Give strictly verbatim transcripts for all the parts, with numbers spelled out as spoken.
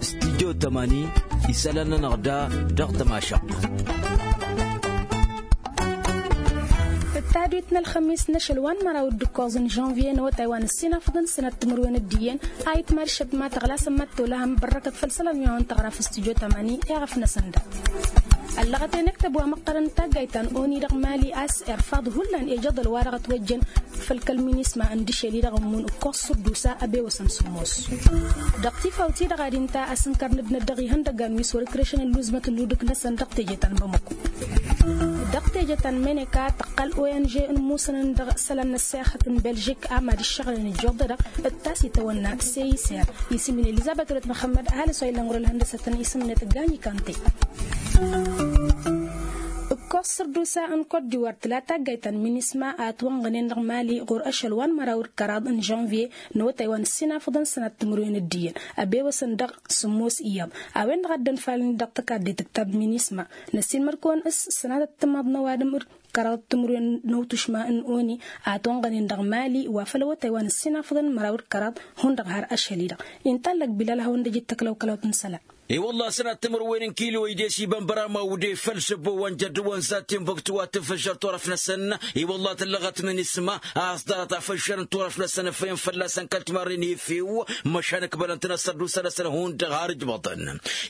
Studyo tămani isălan-nănăɣ da dăɣ-tămašăɣt. D-tadwit n-ălxămis n-ašăl wa n-măraw d-ǝkkoẓ n-žănvye n-awătay wa n-ăssinafăḍăn sănat timǝrwen d-iyyăn a itmad šăt ma tăɣlasăn mad-tolăhăm bărrăkăt făll-isălan wi-awăn tăɣra f-studyo tămani. Iɣăf-năsăn da ăllăɣăt i-năktăb wa măqqărăn n-taggayt ta n-oni dăɣ-mali a-s irfaḍ hullan ejăḍăl wa dăɣ-ătwăjjăn făll-kăl-minisma n-dăšel-i-dăɣ ǝmmun ǝkkoẓ săr d-usa ăbewăsăn sǝmmos. Dăɣ-tifawt-i-dăɣ ad-inta asǝnkăr n-ăddinăt dăɣ-ihăndăgan wi s-wăr-ǝkrešăn ǝlluzmăt n-ludǝk-năsăn dăɣ-teje ta n-bamăko. Dăɣ-teje ta n-meneka tăqqăl ong n-ǝmmǝsăn-ǝnn dăɣ-isălan n-ăssexăt n-belžik a mad-ǝššăɣǝlăn ijjuḍ-dăɣ d-ta s-itawănna seyser isǝm-in elizăbet wălăt măxămmăd ăhalǝs wa illăn ɣur-ǝlhăndăsăt n-isǝmnet gani kante. Ǝkkoẓ săr d-usa n-kot d-iwar tǝla taggayt ta n-minisma a ătwănɣănen dăɣ-mali ɣur-ašăl wa n-măraw d-kăraḍ n-žănvye n-awătay wa n-ăssinafăḍăn sănat timǝrwen d-iyyăn ăbewăsăn dăɣ-sǝmmos iyyăḍ a-wen-dăɣ a dd-ănfalăn-dd dăɣ-tăkadde tǝktab minisma n-ăssiinmăr-kăwăn s-sănatăt timaḍ n-ăwadǝm d-kăraḍ timǝrwen n-awtušma n-oni a ătwănɣănen dăɣ-mali wa făll-awătay wa n-ăssinafăḍăn măraw d-kăraḍ hundăɣ har ašăl-i-dăɣ. Inta ăllăɣ bilal hawăn-dd-ăj d-tăklăw kălawt n-isălan. I-wălla sănat timǝrwen n-kilo-i d-e-s iba n-băraw ma ude făll-săbbo wa n-jărdǝwăn za timbuktu wa tǝfǝžžăr turăf-năsăn. I-wălla tǝllăɣăt minisma a-s ḍarăt afǝžžăr n-turăf-năsăn ăffăyăn fălla-săn kăl-timarren efew măšan ǝkbălăn-tăn ăssărdusa-năsăn hundăɣ har ǝjbăḍăn.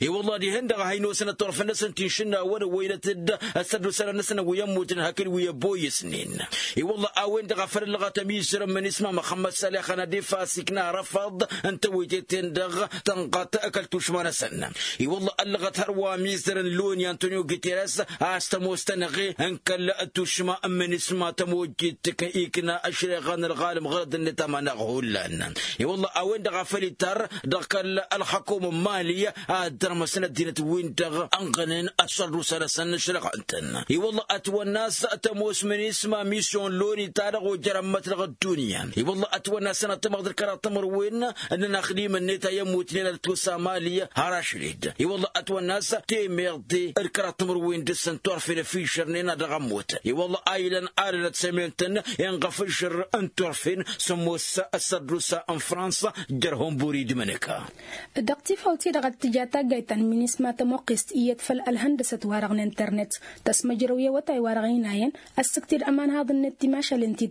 I-wălla dihen-dăɣ a hin-osănăt turăf-năsăn ti n-išǝnnawăn ăwwăynăt-dd ăssărdusa-năsăn wi ămmutnen hakd wi ăbboyăsnen. I-wălla a-wen-dăɣ a făl ăllăɣăt ămizăr n-minisma măxămmăd salix ănădif a-s ikna arăfăḍ n-tewăyte-ten-dăɣ tănɣăt kăl-tušma-năsăn. I-wălla ăllăɣăt hărwa ămizăr n-loni antonio guteres a-s tămoos tănăɣe n-kăl-tušma n-minisma tămojjit ikna ăšreɣa n-ălɣalăm ɣărăd-net amanăɣ hullan. I-wălla a-wen-dăɣ a făl ittar dăɣ-kăl-ălxăkum n-mali ad-dărmăsăn ăddinăt-win-dăɣ ănɣănen ăssărdusa-năsăn n-ăšrăɣăn-tăn. I-wălla ătwănna a-s tămoos minisma misyon loni-ta-dăɣ ojăr ămmăt dăɣ-ăddunya. I-wălla ătwănna a-s ănăttămăɣ d-kăraḍ timǝrwen n-inaxdimăn-net a i-ămmutnen ad-ătwăsa mali har ašăl-dd. I-wălla ătwănna a-s temeḍe d-kăraḍ timǝrwen dăɣ-săn turfen ăfižărnen a dăɣ-ămmut. I-wălla a ilăn alănăt sămen-tăn inɣăfǝžžăr n-turfen sămoos ăssărdusa n-fransa jer-hunburi d-imǝnǝka. Dăɣ-tifawt-i-dăɣ ad-tǝja taggayt ta n-minisma tămuqqest iyyăt făll-ălhăndăsăt-wa-dăɣ n-internet tăsmăjrăw i-awătay-wa-dăɣ ăynayăn ăssǝkti d-ămanhaḍ-net timašalen ti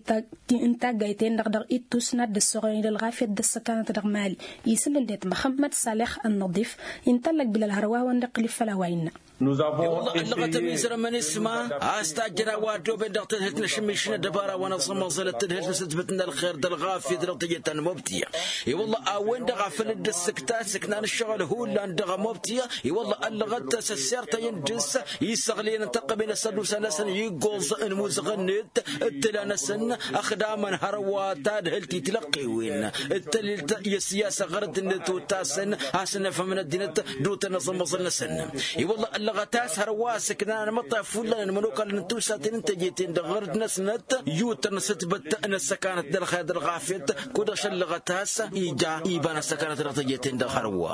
n-taggayt-en-dăɣ dăɣ-ittus n-ad-dd-ăssoɣălăn i-dd ălɣafyăt d-ăssăkanăt dăɣ-mali. Isǝlǝndet măxămmăd salix ănnăḍif inta ăllăg bilal hărwa a-wen-dăɣ kăl-iffăl a-wa innă. Wălla ăllăɣăt ămizăr n-minisma a-s tajjăr a-wa ăddooben dăɣ-tadhǝlt n-ašǝmmišǝn ăddăbara wa n-aẓămăẓălăt tadhǝlt n-asǝtbǝt n-ălxer d-ălɣafyăt dăɣ-teje ta n-mobtǝya. I-wălla a-wen-dăɣ a făl dd-ăssǝkta s-ǝknan ǝššăɣǝl hullan dăɣ-mobtǝya. I-wălla ăllăɣăt s-ăssirtăyăn dăɣ-s isăɣlăyăn n-tăqqămen ăssărdus-năsăn iggoẓ n-imuzăɣăn-net d-tǝla-năsăn ăxdamăn hărwa tadhǝlt itlăqqewen d-tălilt i-ăssiyasă ɣărăt-net ottasăn a-s ănnăfhămăn ăddinăt d-otăn aẓămăẓăl-năsăn. I-wălla ăllăɣăt a-s hărwa s-ǝknan ănmăṭṭaf hullan n-imănokalăn n-tiwsaten n-teje-ten-dăɣ ɣărăt-năsnăt i-utăr n-asǝtbăt n-ăssăkanăt d-ălxer d-ălɣafyăt. Kud-dăɣ šăllăɣăt a-s ija iba n-ăssăkanăt dăɣ-teje-ten-dăɣ hărwa.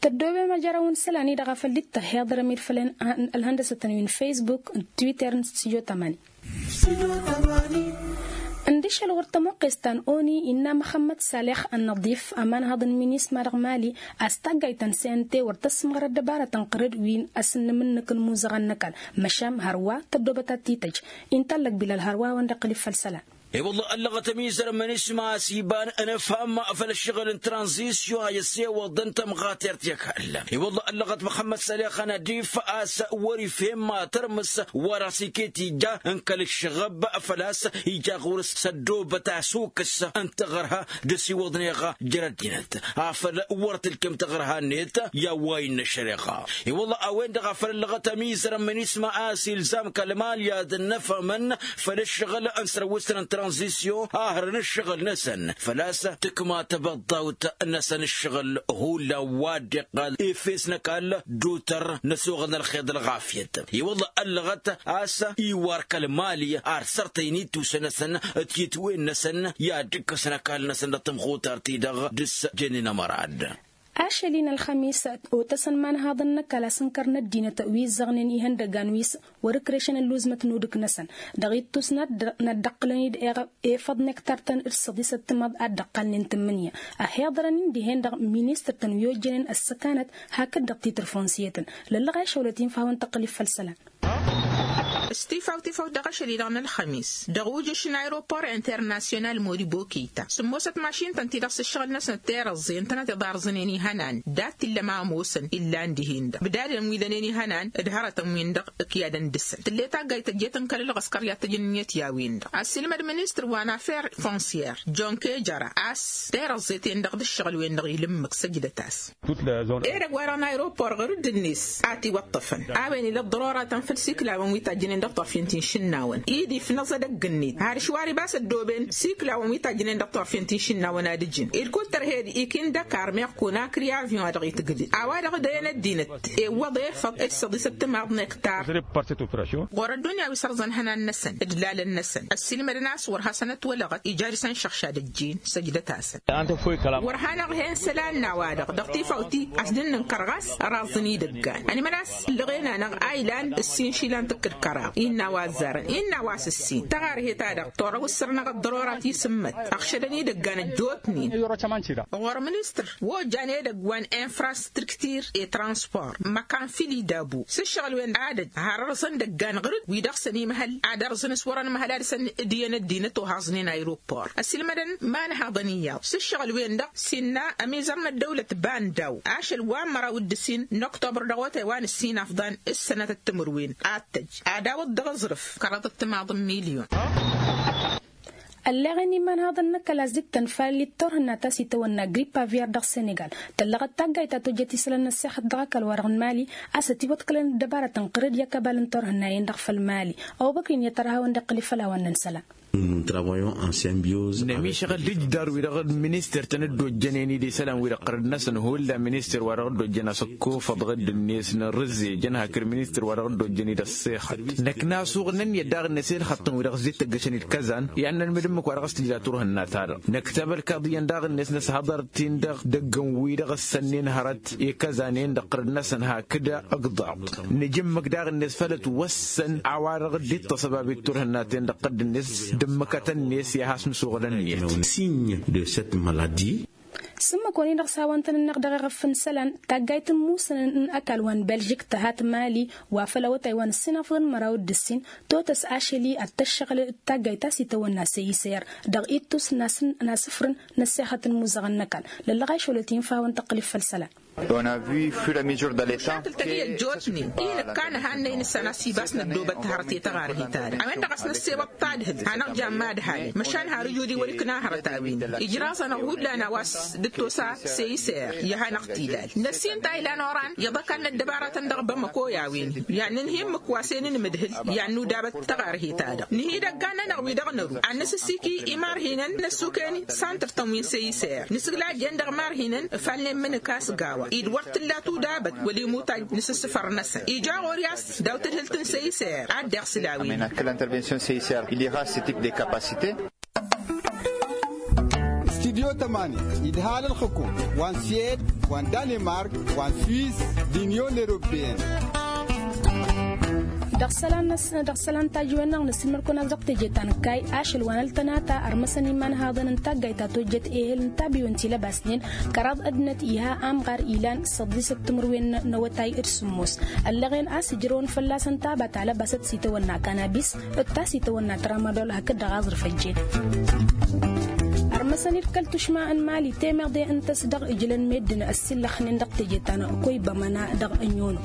Tăddoobem ajărăw n-isălan-i-dăɣ a făl dd-tăhhiḍărăm-dd făll-ălhăndăsăt-năwăn facebook d-twitter n-studyo tămani. Ǝndǝšăl wăr tămuqqes ta n-oni innă măxămmăd salix ănnăḍif ămanhăḍ n-minisma dăɣ-mali a-s taggayt ta n-sente wăr tăssǝmɣăr ăddăbarăt n-qărǝd wi n-asǝnnǝm-nǝk n-imuzăɣăn n-ăkall. Măšan hărwa tăddoobăt ad-t-tăj inta ăllăg bilal hărwa a-wen-dăɣ kăl-iffăl isălan. I-wălla ăllăɣăt ămizăr n-minisma a-s iba n-inǝfham făll-ǝššăɣǝl n-tranzisyon a ăssewăḍăn tămɣatert i-ăkall. I-wălla ăllăɣăt măxămmăd salix ănădif a-s wăr-ifhem ma tărmǝs wa dăɣ-s iket ija n-kăl-ǝššăɣăb făl-a-s ija ɣur-s s-ăddoobăt asukǝs n-taɣărha d-ăsiwăḍnen iɣa jer-ăddinăt afăl wăr tǝlkem taɣărha-net i-a-wa innă ăššăreɣa. I-wălla a-wen-dăɣ a făl ăllăɣăt ămizăr n-minisma a-s ilzam kăl-mali ad-ănnăfhămăn făll-ǝššăɣǝl n-sărwǝsăn n-tranzisyon a hărăn ǝššăɣǝl-năsăn făl-a-s tǝkma tăbăḍḍawt n-asăn ǝššăɣǝl hullan wa dd-iqqal efes n-ăkall d-utăr n-ăsoɣăl n-ălxer d-ălɣafyăt. I-wălla ăllăɣăt a-s iwar kăl-mali ar sărtăyăn ittusăn-năsăn d-titwen-năsăn i-ad-ǝkkăsăn ăkall-năsăn dăɣ-tămxutart-i-dăɣ dăr-s jănnen ămărad. Ašăl-i n-ălxămis otăsăn imanhaḍăn n-ăkall a-s ǝnkăr n-ăddinăt wi ǝzzăɣnen ihăndăgan wi s-wăr-ǝkrešăn ǝlluzmăt n-udǝk-năsăn. Dăɣ-ittus n-ad-dd-dd-ăqqǝlăn-dd efăḍ n-ektar-tăn d-săḍisăt timaḍ ad-dd-ăqqalnen tǝmmǝnǝya ăhiḍărăn-in dihen dăɣ-ministăr-tăn wi ojjănen ăssăkanăt hakd-dăɣ titrǝfonsiyătăn. Lăllăɣ a išăwlăt-in făll-a-wen tăqqǝl ifăll isălan. S-tifawt-ifawt dăɣ-ašăl-i-dăɣ n-ălxămis dăɣ-ujǝš n-aeropor internasyonal moribo keyta sǝmmosăt mašin-tăn-ti-dăɣ s-ǝššăɣǝl-năsnăt terăẓẓe ǝntănăt iḍarẓǝnen ihănan dat-t illa ma ămoosăn illan dihen-dăɣ bǝdadăn wi dănen ihănan d-hărătăn-win-dăɣ ǝkyadăn dăɣ-săn tǝll'-e taggayt tăjjet n-kăl-ălɣăskăr i-ad-tăjǝnnǝyăt i-a-wen-dăɣ ăssiilmăd ministăr wa n-afer fonsyăr jon kejăra a-s terăẓẓe-ten-dăɣ d-ǝššăɣǝl-wen-dăɣ ila ǝmmǝk săjdăt-as. Edăgg-wa-dăɣ n-aeropor ɣur-dd-net a ătiwăṭṭăfăn a-wen ila ăḍḍăroratăn făll-siklawăn wi tajjănen dăɣ-turfen ti n-išǝnnawăn-i d-ifnăẓ edăgg-net har išwar ibas ăddooben siklawăn wi tajjănen dăɣ-turfen ti n-išǝnnawăn ad-ǝjǝn ed kull tărhed ikin dăkar meɣ kunakri avyon-wa-dăɣ itǝgdǝd a-wa-dăɣ d-ăyăn ăddinăt ewwăḍ efăḍ d-săḍisăt timaḍ n-ektar. Ɣur-ăddunya wi s-ărẓăn ihănan-năsăn d-lalăn-năsăn ăssiilmădăn a-s wăr hasăn-ătwălăɣăt ija dăɣ-săn šăɣšad ăjjeen săjdăt-asăn. Wăr hanăɣ-hen isălan n-a-wa-dăɣ dăɣ-tifawt-i a-s dd-nǝnkăr ɣas ăraẓăn idăggan ănimănăs ǝllăɣen-anăɣ a ilan ǝssin išilan tǝkkǝd kăraḍ innă a-wa ăzzarăn innă a-wa s-ǝssin tăɣarhet-ta-dăɣ torăw ǝssărnăɣ ăḍḍărora tisǝmmăt ăɣšădăn idăggan ăjjootnen. Ɣur-ministăr wa ojjan edăgg wa n-infrastruktir i-transpor măkan fili dabu s-ǝššăɣǝl-wen ad-ăj har ărẓăn idăggan ɣur-dd wi dăɣ-săn imhăl ad-ărẓăn s-wărăn imhăl ad-săn d-iyyăn ăddinăt ohaẓnen aeropor ăsilmădăn imanhaḍăn iyyăḍ s-ǝššăɣǝl-wen-dăɣ s-innă ămizăr n-ăddăwlăt bandaw ašăl wa n-măraw d-ǝssin n-oktobăr dăɣ-otay wa n-ǝssin afḍan s-sănatăt timǝrwen ad-tăj ad-awăḍ dăɣ-aẓrǝf kăraḍăt timaḍ n-milyon. Ălleɣen imanhaḍăn n-ăkall a-s dd-tăn fal-i d-turhǝnna ta s-itawănna gripp aviar dăɣ-senegal tăllăɣăt taggayt ta tojjăt isălan n-ăssexăt dăɣ-ăkall-wa-dăɣ n-mali a-s ătiwăḍkălăn ăddăbarăt n-qărǝd i-akăbal n-turhǝnna-en-dăɣ făll-mali. Ăwăbăkrin i-ad-tărhawăn d-iqqǝl ifăl a-wa n-nǝnsălan. Nămišăɣ-dd ǝjdar-wi-dăɣ d-ministăr-tăn dd-ojjănen-dd isălan-wi-dăɣ ɣărăd-năsăn hullan ministăr-wa-dăɣ dd-ojjăn asǝkkofăḍ ɣǝdd-net n-rǝzzejăn hakd ministăr-wa-dăɣ dd-ojjăn-dd ăṣṣixăt. Năkk n-asuɣ n-ǝnniyăt daɣ-net i-ǝlxăṭṭăn-wi-dăɣ ǝzzet tăggăšăn-dd kăzan i-ad-nănmǝd ǝmmǝk wa dăɣ-s tǝjla turhǝnna-ta-dăɣ năkk tabălkaḍ iyyăn daɣ-net n-ăshăḍăr-t-in-dăɣ dăgg-n wi-dăɣ ǝssănnen hărăt i-kăzan-en-dăɣ ɣărăd-năsăn hakd ǝgḍaḍ. Nǝj ǝmmǝk daɣ-net făll-ătwăssăn a-wa-dăɣ dd-iṭṭăṣ ăbab i-turhǝnna-ten-dăɣ ɣǝdd-net d-ǝmmǝkătăn-net i-ad-has-nǝsuɣǝl ǝnniyăt. Signe de cette maladie. S-ǝmmǝk-wăn-i-dăɣ s-hawăn-tăn-ǝnneɣ dăɣ-eɣăf n-isălan taggayt n-imusǝn n-ăkall wa n-belžik tǝha timali wa făll-awătay wa n-ǝssin afḍăn măraw d-ǝssin totăs ašăl-i ad-tăššăɣǝl d-taggayt ta s-itawănna săy-isăyăr dăɣ-ittus n-asǝfrǝn n-ăssexăt n-imuzăɣăn n-ăkall. Lăllăɣ a išolăt-i n-fawăn tăqqǝl-i făll-isălan. Măšakǝl-tăn-i ăjjootnen-i nǝkka nǝhannăy nǝssan a-s ibas năddoobăt hărăt i-taɣarhit-ta-dăɣ a-wen-dăɣ a-s năssewăḍ tadhǝlt hanăɣ-jan imadhalăn măšan har ǝjud iwăr-ikna hărăt a-wen ijraẓ-anăɣ hullan a-wa s-dd-tosa seyser i-ad-hanăɣ-t-ilal năssin ta ilan oran iyyăḍ ăkall n-ăddăbaratăn dăɣ-bamăko i-a-wen. I-ad-nǝnhǝy ǝmmǝk wa s-e-nǝnmǝdhǝl i-ad-nudabăt taɣarhit-ta-dăɣ nǝhi idăggan-nănăɣ wi dăɣ-năru ad-nǝsǝssiki imarhinăn n-ăssukăyăn santrătăn wi n-seyser nǝsǝglajjen dăɣ-imarhinăn. Ǝfalnen imǝnǝk a-s gawa-i d-wăr t-tǝlla tudabăt wăla imutaj n-asǝssǝfăr-năsăn ija ɣur-i a-s daw-tadhǝlt n-seyser ad-dd-iɣsǝl a-wen. Studyo tămani idhal ălxǝkum wa n-suwed wa n-danimark wa n-suwis d-inyon europeyăn. Dăɣ-isălan tajǝwen-năɣ nǝsǝlmăd-kăwăn-as dăɣ-teje ta n-ǝkkay ašăl wa n-ăltănata ărmăsăn imanhaḍăn n-taggayt ta tojjăt ehel n-tabiwen ti lăbasnen kăraḍ ăddinăt iha amɣar ilan săḍisăt timǝrwen n-awătay d-sǝmmos. Ăllăɣen a-s ǝjrăwăn fălla-săn taba ta lăbasăt s-itawănna kanabis d-ta s-itawănna tramadol hakd dăɣ-aẓrǝf ăjjeen. Ărmăsăn-dd kăl-tušma n-mali temeḍe ǝnta a-s dăɣ-ǝjlăn meddǝn ăssillăxnen dăɣ-teje ta n-koybămăna dăɣ-ănyono.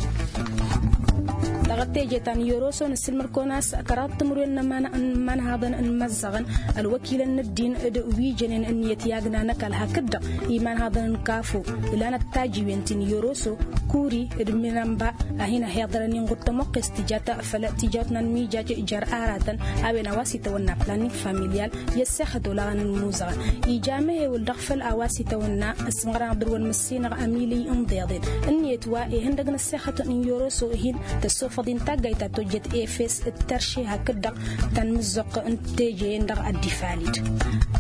Dăɣ-teje ta n-yoroso nǝssǝlmăd-kăwăn a-s kăraḍ timǝrwen n-imanhaḍăn n-imăzzăɣăn ălwăkilăn n-ăddin d-wi jănen ǝnniyăt i-agna n-ăkall hakd-dăɣ imanhaḍăn n-kafo ǝlanăt tajiwen ti n-yoroso kuri d-minănba a hin-ăhiḍărăn inɣud tămoqqest tijat făll-tijawt n-anmijaj jer-aratăn a-wen a-wa s-itawănna planning familial i-ăssexăt olaɣăn n-imuzăɣăn. Ija amehewǝl dăɣ-făl a-wa s-itawănna ăsmăɣrăn ad-dăr-wăn măssinăɣ amiliy n-iḍeḍen ǝnniyăt wa ihăndăg n-ăssexăt n-yoroso hin-tăssofăḍ. Din taggayt ta tojjet efes d-terše hakd-dăɣ tanmǝzzoɣt n-teje-en-dăɣ ad-dd-ifalid.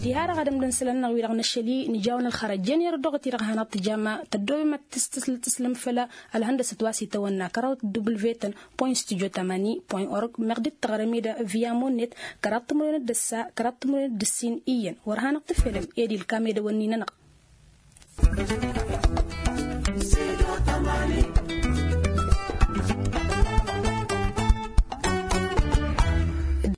Diha-dăɣ ad-ămdăn isălan-năɣ wi-dăɣ năšăl-i nǝjawăn ălxărăjăn i-ărdăɣăt-i dăɣ-hanăɣ-tǝjama tăddoobem ad-tǝslǝm făll-ălhăndăsăt wa s-itawănna kăraḍăt w-tăn point studio tamani point org meɣ dd-tăɣrăm-ed via monnet kăraḍ timǝrwen d-ǝssa kăraḍ timǝrwen d-ǝssin iyyăn wăr hanăɣ-tǝfelăm ed ilkam edăwănni-nănăɣ.